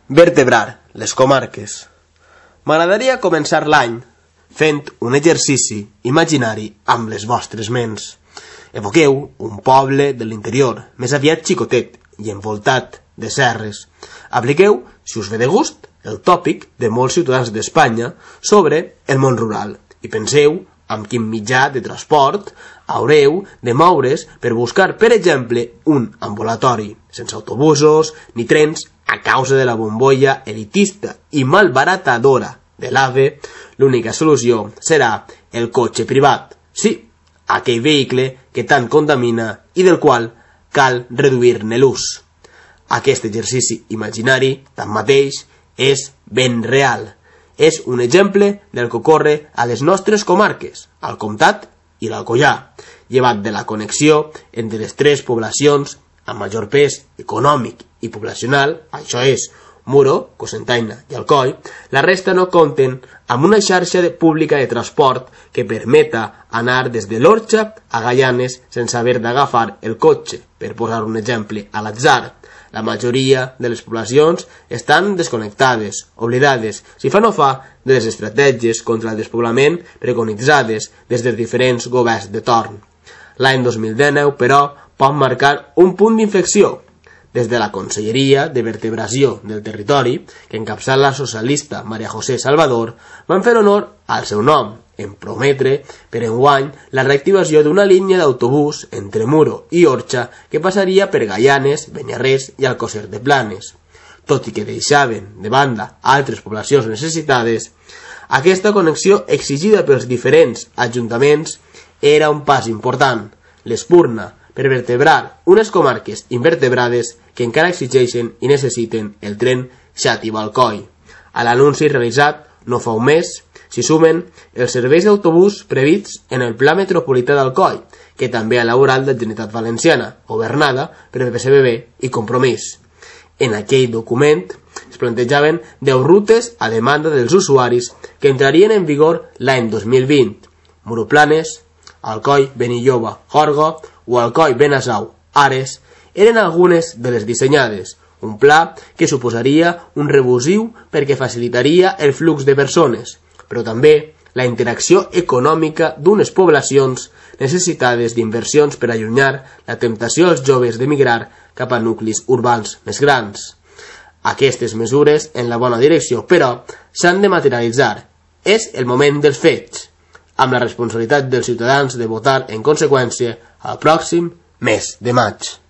Vertebrar les comarques. M'agradaria començar l'any fent un exercici imaginari amb les vostres ments. Evoqueu un poble de l'interior, més aviat xicotet i envoltat de serres. Apliqueu, si us ve de gust, el tòpic de molts ciutadans d'Espanya sobre el món rural i penseu amb quin mitjà de transport haureu de moure's per buscar, per exemple, un ambulatori, sense autobusos ni trens a causa de la bombolla elitista i malbaratadora de l'AVE. L'única solució serà el cotxe privat. Sí, aquell vehicle que tant contamina i del qual cal reduir-ne l'ús. Aquest exercici imaginari, tanmateix, és ben real. És un exemple del que ocorre a les nostres comarques, al Comtat i l'Alcoià, llevat de la connexió entre les tres poblacions amb major pes econòmic i poblacional, això és, Muro, Cocentaina i Alcoi. La resta no compten amb una xarxa pública de transport que permeta anar des de l'Orxa a Gaianes sense haver d'agafar el cotxe, per posar un exemple a l'atzar. La majoria de les poblacions estan desconnectades, oblidades, si fa no fa, de les estratègies contra el despoblament preconitzades des dels diferents governs de torn. L'any 2019, però, pot marcar un punt d'inflexió. Des de la Conselleria de Vertebració del Territori, que encapçala la socialista María José Salvador, van fer honor al seu nom, en prometre per enguany la reactivació d'una línia d'autobús entre Muro i Orxa que passaria per Gaianes, Beniarrés i Alcosser de Planes. Tot i que deixaven de banda altres poblacions necessitades, aquesta connexió exigida pels diferents ajuntaments era un pas important, l'espurna per vertebrar unes comarques invertebrades que encara exigeixen i necessiten el tren Xàtiva-Alcoi. A l'anunci realitzat no fa un mes s'hi sumen els serveis d'autobús prevists en el Pla Metropolità d'Alcoi, que també ha elaborat la Generalitat Valenciana, governada per el PSBB i Compromís. En aquell document es plantejaven 10 rutes a demanda dels usuaris que entrarien en vigor l'any 2020. Muro-Planes, Alcoi-Benilloba, Jorgo o Alcoi-Benasau, Ares, eren algunes de les dissenyades, un pla que suposaria un revulsiu perquè facilitaria el flux de persones, però també la interacció econòmica d'unes poblacions necessitades d'inversions per allunyar la temptació als joves d'emigrar cap a nuclis urbans més grans. Aquestes mesures en la bona direcció, però, s'han de materialitzar. És el moment dels fets, amb la responsabilitat dels ciutadans de votar en conseqüència al pròxim mes de maig.